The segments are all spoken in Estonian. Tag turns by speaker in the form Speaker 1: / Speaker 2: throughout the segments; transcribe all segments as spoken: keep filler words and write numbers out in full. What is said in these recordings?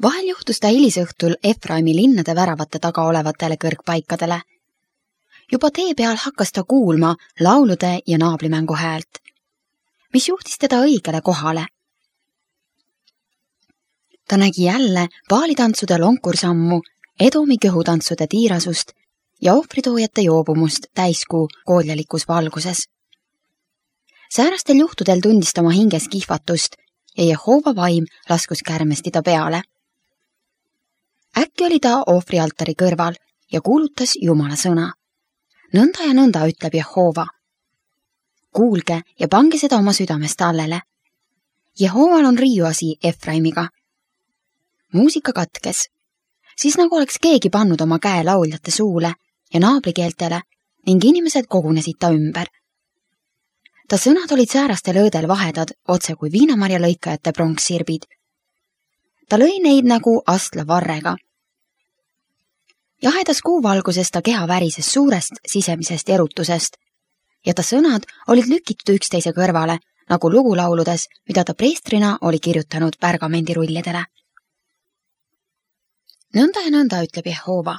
Speaker 1: Vahel juhtus ta hilisõhtul Efraimi linnade väravate taga olevatele kõrgpaikadele. Juba tee peal hakkas ta kuulma laulude ja naablimängu häält, mis juhtis teda õigele kohale. Ta nägi jälle paalitantsude lonkursammu, Edomi kõhutantsude tiirasust ja ohvritoojate joobumust täiskuu kooljalikus valguses. Säärastel juhtudel tundis ta oma hinges kihvatust ja Jehova vaim laskus kärmesti ta peale. Äkki oli ta ohvrialtari kõrval ja kuulutas Jumala sõna. Nõnda ja nõnda ütleb Jehova. Kuulge ja pange seda oma südamest allele. Jehoval on riiuasi Efraimiga. Muusika katkes, siis nagu oleks keegi pannud oma käe lauljate suule ja naabrikeeltele ning inimesed kogunesid ta ümber. Ta sõnad olid säärastel öödel vahedad, otse kui viinamarja lõikajate pronkssirbid. Ta lõi neid nagu astla varrega. Jahedas kuuvalguses ta keha värises suurest sisemisest erutusest ja ta sõnad olid lükitud üksteise kõrvale, nagu lugulauludes, mida ta preestrina oli kirjutanud pärgamendirullidele. Nõnda ja nõnda ütleb Jehova.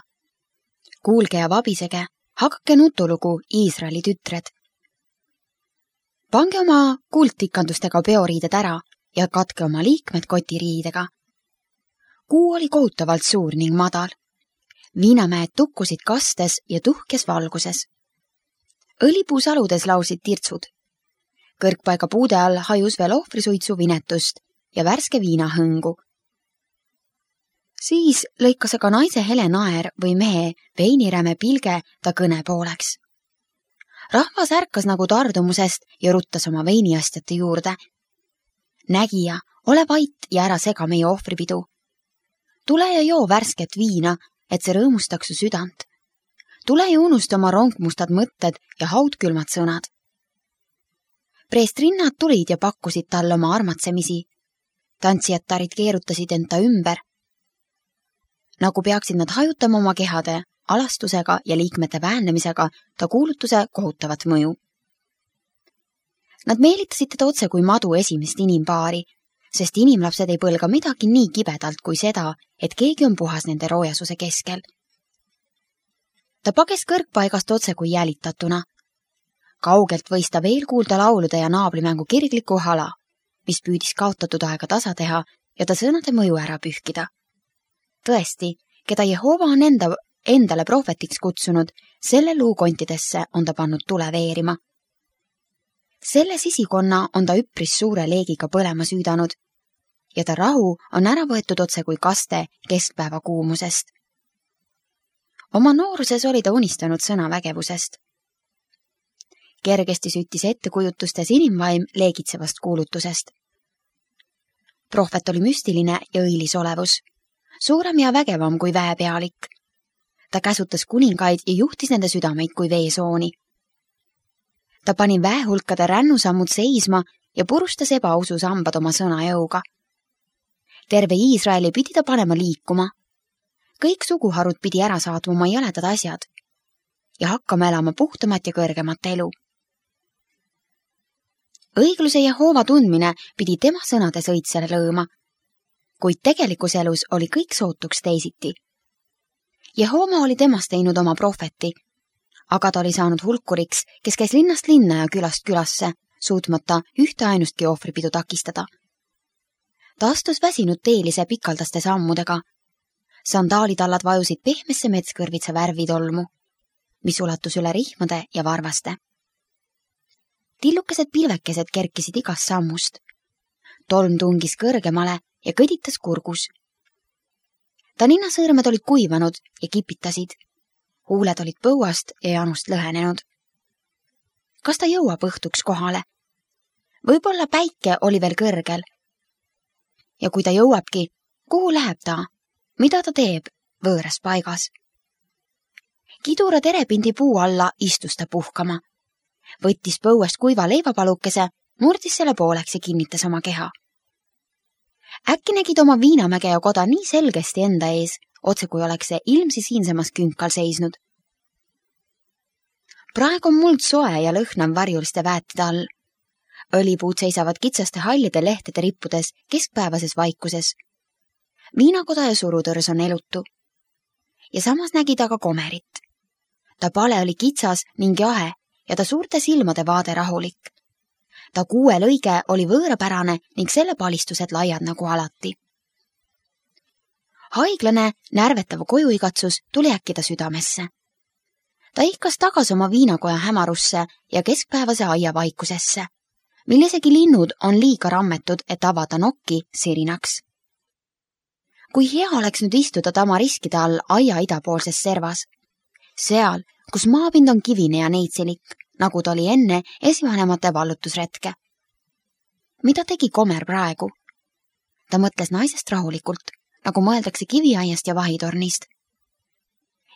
Speaker 1: Kuulge ja vabisege, hakake nutulugu Iisraeli tütred. Pange oma kuldtikandustega peoriided ära ja katke oma liikmed kotiriidega. Kuu oli kohutavalt suur ning madal. Viinamäed tukkusid kastes ja tuhkes valguses. Õlipuusaludes lausid tirtsud. Kõrgpaiga puude all hajus veel ohvrisuitsu vinetust ja värske viinahõngu. Siis lõikas aga naise hele naer või mehe veiniräme pilge ta kõne pooleks. Rahvas ärkas nagu tardumusest ja ruttas oma veiniastjate juurde. Nägija, ole vait ja ära sega meie ohvripidu. Tule ja joo värsket viina, et see rõõmustaks su südant. Tule ja unusta oma rongmustad mõtted ja haudkülmad sõnad. Preestrinnad tulid ja pakkusid talle oma armatsemisi. Tantsijattarid keerutasid enda ümber. Nagu peaksid nad hajutama oma kehade, alastusega ja liikmete väännemisega ta kuulutuse kohutavat mõju. Nad meelitasid teda otse kui madu esimest inimpaari, sest inimlapsed ei põlga midagi nii kibedalt kui seda, et keegi on puhas nende roojasuse keskel. Ta pages kõrgpaigast otse kui jälitatuna. Kaugelt võis ta veel kuulda laulude ja naablimängu kirgliku hala, mis püüdis kaotatud aega tasa teha ja ta sõnade mõju ära pühkida. Tõesti, keda Jehova on enda, endale prohvetiks kutsunud, selle luukontidesse on ta pannud tule veerima. Selle sisikonna on ta üpris suure leegiga põlema süüdanud ja ta rahu on ära võetud otse kui kaste keskpäeva kuumusest. Oma nooruses oli ta unistanud sõnavägevusest. Kergesti süttis ettekujutustes inimvaim leegitsevast kuulutusest. Prohvet oli müstiline ja õilis olevus, suurem ja vägevam kui väepealik. Ta käsutas kuningaid ja juhtis nende südameid kui veesooni. Ta pani väehulkade rännusammud seisma ja purustas ebausu sambad oma sõnajõuga. Terve Iisraeli pidi ta panema liikuma. Kõik suguharud pidi ära saatma oma jäledad asjad ja hakkama elama puhtamat ja kõrgemat elu. Õigluse Jehova tundmine pidi tema sõnades õitsele lõõma, kuid tegelikus elus oli kõik sootuks teisiti. Jehova oli temast teinud oma prohveti, aga ta oli saanud hulkuriks, kes käis linnast linna ja külast külasse, suutmata ühte ainustki ohvripidu takistada. Ta astus väsinud teelise pikaldaste sammudega. Sandaalitallad vajusid pehmesse metskõrvitsa värvidolmu, mis ulatus üle rihmade ja varvaste. Tillukesed pilvekesed kerkisid igast sammust. Tolm tungis kõrgemale ja kõditas kurgus. Ta ninnasõõrmed olid kuivanud ja kipitasid. Huuled olid põuast ja janust lõhenenud. Kas ta jõuab õhtuks kohale? Võib-olla päike oli veel kõrgel. Ja kui ta jõuabki, kuhu läheb ta? Mida ta teeb võõras paigas? Kidura terepindi puu alla istus ta puhkama. Võttis põuest kuiva leivapalukese, murdis selle pooleks ja kinnitas oma keha. Äkki nägid oma viinamäge ja koda nii selgesti enda ees, otse kui oleks see ilmsi siinsemas künkal seisnud. Praegu on muld soe ja lõhnav varjuliste väetide all. Õlipuud seisavad kitsaste hallide lehtede rippudes keskpäevases vaikuses. Viinakoda ja surutõrs on elutu. Ja samas nägi ta ka komerit. Ta pale oli kitsas ning jahe ja ta suurte silmade vaade rahulik. Ta kuue lõige oli võõrapärane ning selle palistused laiad nagu alati. Haiglane, närvetav kojuigatsus tuli äkki ta südamesse. Ta ihkas tagas oma viinakoja hämarusse ja keskpäevase aia vaikusesse, mil isegi linnud on liiga rammetud, et avada nokki sirinaks. Kui hea oleks nüüd istuda tamariskide all aia idapoolses servas, seal, kus maapind on kivine ja neitselik, nagu ta oli enne esivanemate vallutusretke. Mida tegi Komer praegu? Ta mõtles naisest rahulikult, nagu mõeldakse kiviaiast ja vahitornist.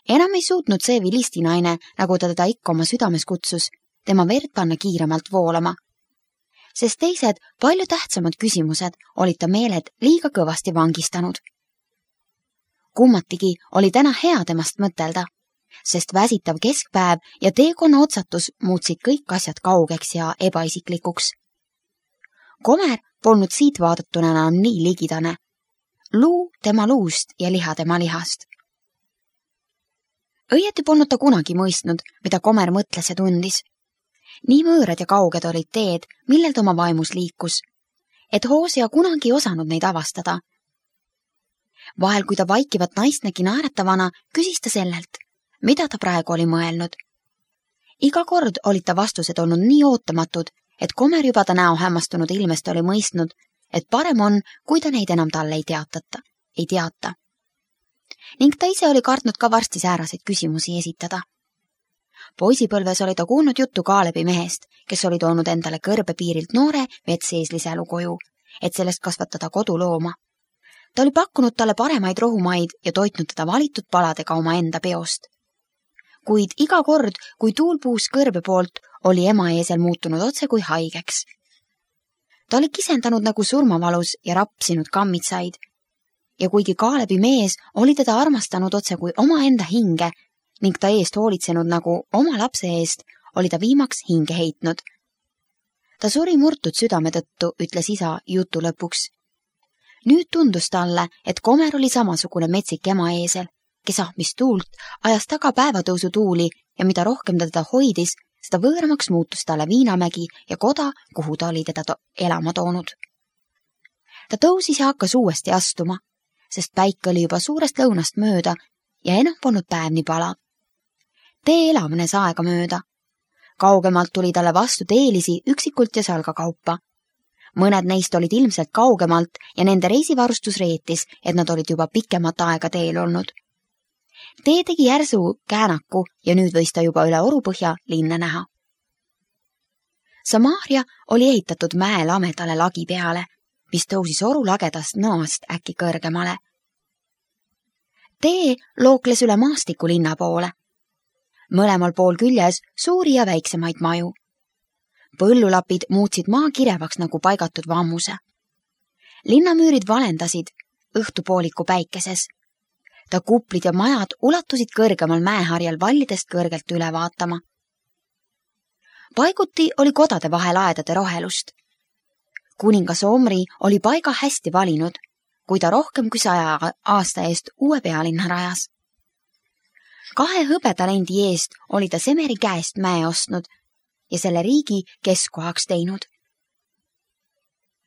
Speaker 1: Enam ei suutnud see vilistinaine, nagu ta teda ikka oma südames kutsus, tema verd panna kiiremalt voolama. Sest teised, palju tähtsamad küsimused olid ta meeled liiga kõvasti vangistanud. Kummatigi oli täna hea temast mõtelda, sest väsitav keskpäev ja teekonna otsatus muutsid kõik asjad kaugeks ja ebaisiklikuks. Komer polnud siit vaadatuna enam nii ligidane. Luu tema luust ja liha tema lihast. Õieti polnud ta kunagi mõistnud, mida Komer mõtles ja tundis. Nii võõrad ja kauged olid teed, millel ta oma vaimus liikus, et Hoosia kunagi osanud neid avastada. Vahel, kui ta vaikivat naist nägi naeratavana, küsis ta sellelt, mida ta praegu oli mõelnud. Iga kord olid ta vastused olnud nii ootamatud, et Komer juba ta näo hämmastunud ilmest oli mõistnud, et parem on, kui ta neid enam talle ei teatata, ei teata. Ning ta ise oli kartnud ka varsti sääraseid küsimusi esitada. Poisipõlves oli ta kuulnud juttu Kaalebi mehest, kes oli toonud endale kõrbepiirilt noore vetseesliselu koju, et sellest kasvatada kodulooma. Ta oli pakkunud talle paremaid rohumaid ja toitnud teda valitud paladega oma enda peost. Kuid iga kord, kui tuul puus kõrbe poolt, oli ema eesel muutunud otse kui haigeks. Ta oli kisendanud nagu surmavalus ja rapsinud kammitsaid. Ja kuigi Kaalebi mees oli teda armastanud otse kui oma enda hinge ning ta eest hoolitsenud nagu oma lapse eest, oli ta viimaks hinge heitnud. Ta suri murtud südame tõttu, ütles isa jutu lõpuks. Nüüd tundus talle, et Komer oli samasugune metsik ema eesel, kes ahmis tuult, ajas taga päevatõusu tuuli ja mida rohkem ta teda hoidis, seda võõramaks muutus talle Viinamägi ja koda, kuhu ta oli teda to- elama toonud. Ta tõusis ja hakkas uuesti astuma, sest päik oli juba suurest lõunast mööda ja enam polnud päev nii palav. Tee elavnes aega mööda. Kaugemalt tuli talle vastu teelisi üksikult ja salgakaupa. Mõned neist olid ilmselt kaugemalt ja nende reisivarustus reetis, et nad olid juba pikemat aega teel olnud. Tee tegi järsu käänaku ja nüüd võis ta juba üle orupõhja linna näha. Samaria oli ehitatud mäe lamedale lagi peale, mis tõusis oru lagedast nõost äkki kõrgemale. Tee lookles üle maastiku linna poole. Mõlemal pool küljes suuri ja väiksemaid maju. Põllulapid muutsid maa kirevaks nagu paigatud vammuse. Linnamüürid valendasid õhtupooliku päikeses. Ta kuplid ja majad ulatusid kõrgemal mäeharjal vallidest kõrgelt üle vaatama. Paiguti oli kodade vahel aedade rohelust. Kuningas Omri oli paiga hästi valinud, kui ta rohkem kui saja aasta eest uue pealinna rajas. Kahe hõbetalendi eest oli ta Semeri käest mäe ostnud ja selle riigi keskkohaks teinud.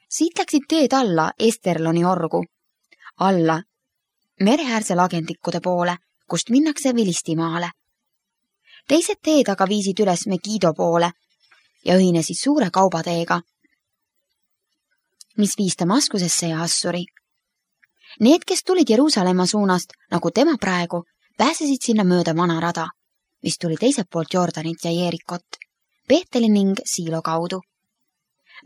Speaker 1: Siit läksid teed alla Esterloni orgu, alla mereäärse lagendikude poole, kust minnakse Vilistimaale. Teised teed aga viisid üles Megido poole ja ühinesid suure kaubateega, mis viis Damaskusesse ja Assuri. Need, kes tulid Jeruusalemma suunast, nagu tema praegu, pääsesid sinna mööda vana rada, mis tuli teiselt poolt Jordanit ja Jeerikot, Peeteli ning Siilo kaudu.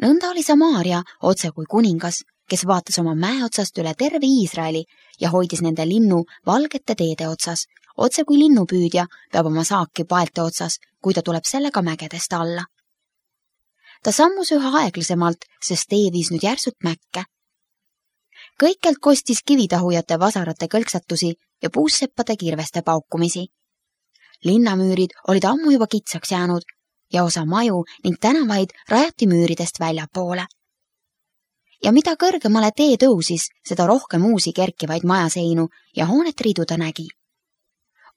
Speaker 1: Nõnda oli Samaria otse kui kuningas, kes vaatas oma mäe otsast üle terve Iisraeli ja hoidis nende linnu valgete teede otsas, otse kui linnupüüdja peab oma saaki paelte otsas, kui ta tuleb sellega mägedest alla. Ta sammus üha aeglasemalt, sest tee viis nüüd järsult mäkke. Kõikelt kostis kivitahujate vasarate kõlksatusi ja puusseppade kirveste paukumisi. Linnamüürid olid ammu juba kitsaks jäänud ja osa maju ning tänavaid rajati müüridest väljapoole. ja mida kõrgemale tee tõusis, seda rohkem uusi kerkivaid majaseinu ja hoonet ridu ta nägi.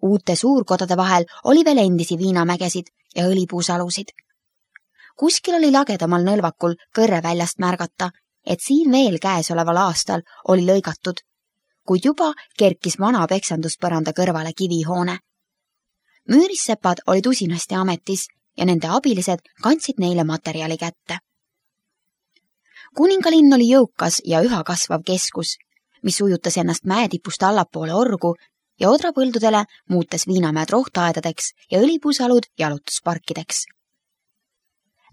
Speaker 1: Uute suurkodade vahel oli veel endisi viinamägesid ja õlipuusalusid. Kuskil oli lagedamal nõlvakul kõrre väljast märgata, et siin veel käesoleval aastal oli lõigatud, kuid juba kerkis vana peksanduspõranda kõrvale kivihoone. Müürissepad olid usinasti ametis ja nende abilised kandsid neile materjali kätte. Kuningalinn oli jõukas ja üha kasvav keskus, mis ujutas ennast mäetipust allapoole orgu ja odrapõldudele muutes viinamäed rohtaedadeks ja õlipuusalud jalutusparkideks.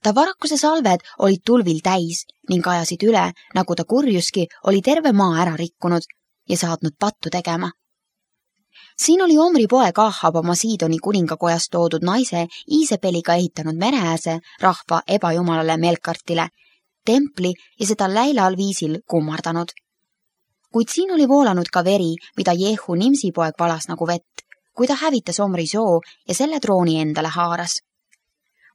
Speaker 1: Tavarakuse salved olid tulvil täis ning ajasid üle, nagu ta kurjuski oli terve maa ära rikkunud ja saatnud pattu tegema. Siin oli Omri poeg Ahab oma Siidoni kuningakojast toodud naise Iisepeliga ehitanud mereääse rahva ebajumalale Melkartile, templi ja seda läilal viisil kummardanud. Kuid siin oli voolanud ka veri, mida Jehu Nimsi poeg valas nagu vett, kui ta hävitas Omri soo ja selle trooni endale haaras.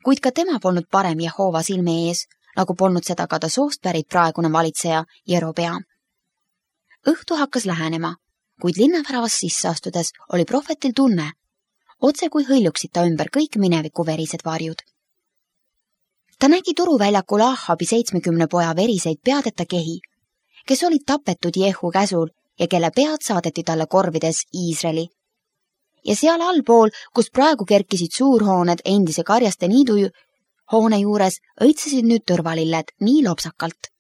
Speaker 1: Kuid ka tema polnud parem Jehova silme ees, nagu polnud seda ka ta soost pärit praegune valitseja Jerobeam. Õhtu hakkas lähenema, kuid linnaväravast sisse astudes oli prohvetil tunne, otse kui hõljuksid ta ümber kõik mineviku verised varjud. Ta nägi turuväljakul Ahabi seitsmekümne poja veriseid peadeta kehi, kes olid tapetud Jehu käsul ja kelle pead saadeti talle korvides Iisraeli. Ja seal allpool, kus praegu kerkisid suurhooned endise karjaste niidu hoone juures, õitsesid nüüd tõrvalilled nii lopsakalt.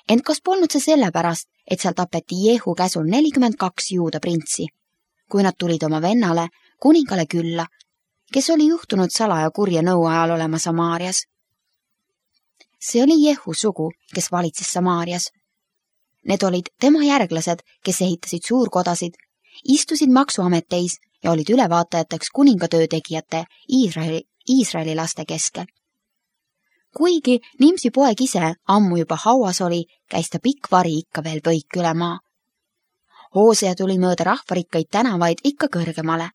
Speaker 1: Ent kas polnud see sellepärast, et seal tapeti Jehu käsul nelikümmend kaks juuda printsi, kui nad tulid oma vennale, kuningale külla, kes oli juhtunud salaja kurja nõu ajal olema Samaarias. See oli Jehu sugu, kes valitses Samaarias. Need olid tema järglased, kes ehitasid suurkodasid, istusid maksuameteis ja olid ülevaatajateks kuningatöö tegijate Iisraeli, Iisraeli laste keskel. Kuigi Nimsi poeg ise ammu juba hauas oli, käis ta pikk vari ikka veel põik üle maa. Hoosea tuli mööda rahvarikkaid tänavaid ikka kõrgemale.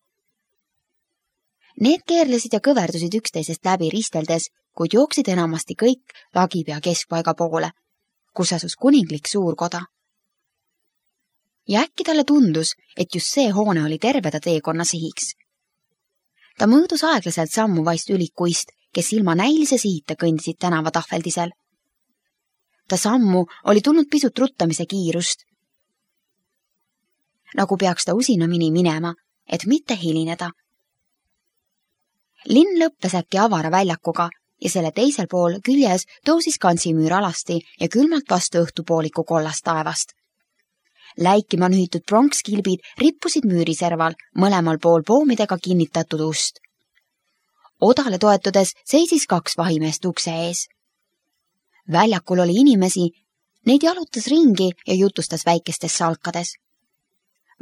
Speaker 1: Need keerlesid ja kõverdusid üksteisest läbi risteldes, kuid jooksid enamasti kõik lagipea keskpaiga poole, kus asus kuninglik suurkoda. Ja äkki talle tundus, et just see hoone oli terve ta teekonna sihiks. Ta mõõdus aeglaselt sammu vaist ülikuist, kes ilma näilise sihita kõndisid tänava tahveldisel. Ta sammu oli tulnud pisut ruttamise kiirust, nagu peaks ta usinamini minema, et mitte hilineda. Linn lõppes äkki avara väljakuga ja selle teisel pool küljes tõusis kantsimüür alasti ja külmalt vastu õhtupooliku kollast taevast. Läikima nühitud pronkskilbid rippusid müüriserval mõlemal pool poomidega kinnitatud ust. Odale toetudes seisis kaks vahimeest ukse ees. Väljakul oli inimesi, neid jalutas ringi ja jutustas väikestes salkades.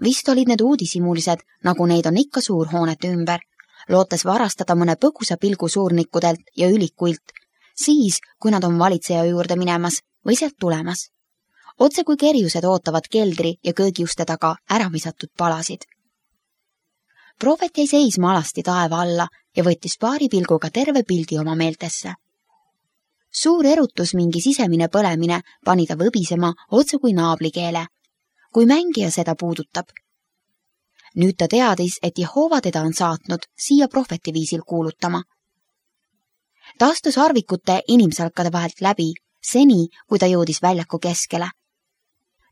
Speaker 1: Vist olid need uudisimulised, nagu neid on ikka suurhoonete ümber, lootes varastada mõne põgusa pilgu suurnikkudelt ja ülikuilt, siis, kui nad on valitseja juurde minemas või sealt tulemas. Otse kui kerjused ootavad keldri ja köögiuste taga ära visatud palasid. Prohvet jäi seisma alasti taeva alla ja võttis paari pilguga terve pildi oma meeltesse. Suur erutus mingi sisemine põlemine pani ta võbisema otse kui naablikeele, kui mängija seda puudutab. Nüüd ta teadis, et Jehova teda on saatnud siia prohveti viisil kuulutama. Ta astus arvikute inimsalkade vahelt läbi, seni, kui ta jõudis väljaku keskele.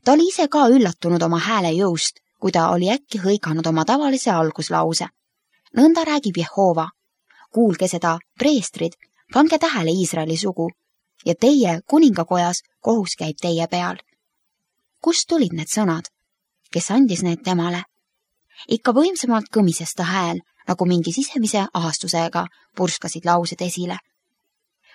Speaker 1: Ta oli ise ka üllatunud oma hääle jõust, kui ta oli äkki hõiganud oma tavalise alguslause. Nõnda räägib Jehova. Kuulge seda, preestrid, pange tähele Iisraeli sugu ja teie kuningakojas kohus käib teie peal. Kust tulid need sõnad? Kes andis need temale? Ikka võimsamalt kõmises ta hääl, nagu mingi sisemise ahastusega purskasid laused esile.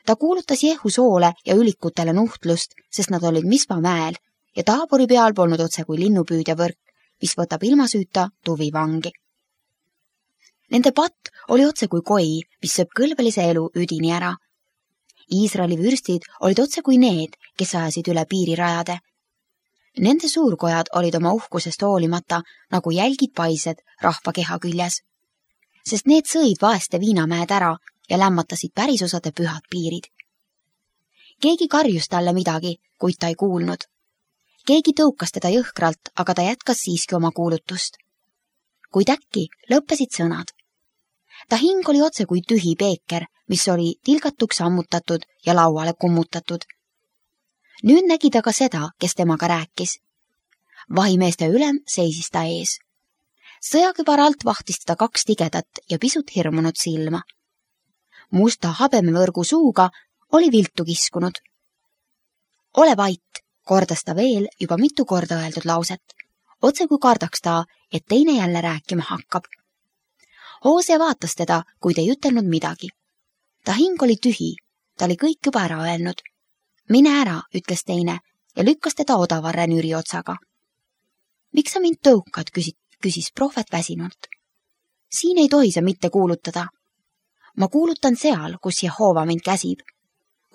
Speaker 1: Ta kuulutas Jehu soole ja ülikutele nuhtlust, sest nad olid Mispa mäel ja taaburi peal polnud otse kui linnupüüdja võrk, mis võtab ilma süüta tuvi vangi. Nende patt oli otse kui koi, mis sööb kõlbelise elu üdini ära. Iisraeli vürstid olid otse kui need, kes ajasid üle piirirajade. Nende suurkojad olid oma uhkusest hoolimata nagu jälgid paised rahva keha küljes, sest need sõid vaeste viinamäed ära ja lämmatasid pärisosade pühad piirid. Keegi karjus talle midagi, kuid ta ei kuulnud. Keegi tõukas teda jõhkralt, aga ta jätkas siiski oma kuulutust. Kuid äkki lõppesid sõnad. Ta hing oli otse kui tühi peeker, mis oli tilgatuks ammutatud ja lauale kummutatud. Nüüd nägi ta ka seda, kes temaga rääkis. Vahimeeste ülem seisis ta ees. Sõjakübar alt vahtis teda kaks tigedat ja pisut hirmunud silma. Musta habemevõrgu suuga oli viltu kiskunud. Ole vait, kordas ta veel juba mitu korda öeldud lauset, otse kui kardaks ta, et teine jälle rääkima hakkab. Hoose vaatas teda, kuid ei ütelnud midagi. Ta hing oli tühi, ta oli kõik juba ära öelnud. Mine ära, ütles teine ja lükkas teda odavarre nüri otsaga. Miks sa mind tõukad, küsis, küsis prohvet väsinult. Siin ei tohi sa mitte kuulutada. Ma kuulutan seal, kus Jehova mind käsib,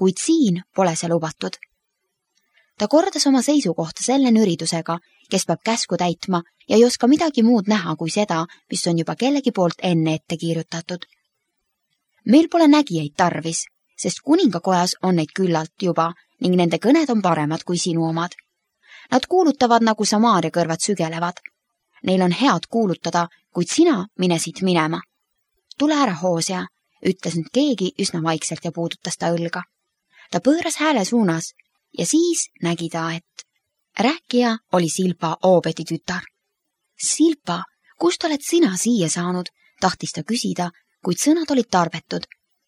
Speaker 1: kuid siin pole see lubatud. Ta kordas oma seisukohta selle nüridusega, kes peab käsku täitma ja ei oska midagi muud näha kui seda, mis on juba kellegi poolt enne ette kiirutatud. Meil pole nägijaid tarvis, sest kuningakojas on neid küllalt juba ning nende kõned on paremad kui sinu omad. Nad kuulutavad nagu Samaaria kõrvad sügelevad. Neil on head kuulutada, kuid sina mine siit minema. Tule ära, Hoosea, ütles nüüd keegi üsna vaikselt ja puudutas ta õlga. Ta pööras hääle suunas ja siis nägi ta, et rääkija oli Silpa Oobedi tütar. Silpa, kust oled sina siia saanud, tahtis ta küsida, kuid sõnad olid tarbetud,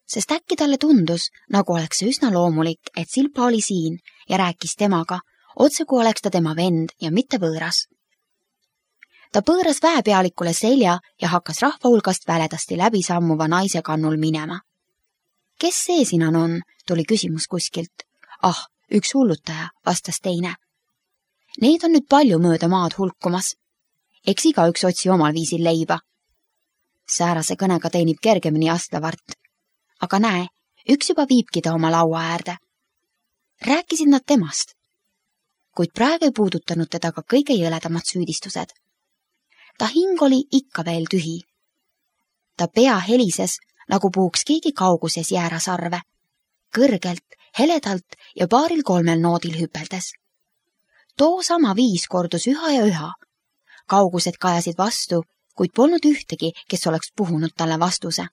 Speaker 1: sest äkki talle tundus, nagu oleks see üsna loomulik, et Silpa oli siin ja rääkis temaga, otse kui oleks ta tema vend ja mitte võõras. Ta pööras väepealikule selja ja hakkas rahva hulgast väledasti läbi sammuva naise kannul minema. Kes see sinan on, tuli küsimus kuskilt. Ah, üks hullutaja, vastas teine. Neid on nüüd palju mööda maad hulkumas. Eks iga üks otsi omal viisil leiba. Säärase kõnega teenib kergemini astlavart. Aga näe, üks juba viibki ta oma laua äärde. Rääkisid nad temast, kuid praegu ei puudutanud teda ka kõige jõledamad süüdistused. Ta hing oli ikka veel tühi. Ta pea helises, nagu puhuks keegi kauguses jäärasarve, kõrgelt, heledalt ja paaril kolmel noodil hüpeldes. Too sama viis kordus üha ja üha. Kaugused kajasid vastu, kuid polnud ühtegi, kes oleks puhunud talle vastuse.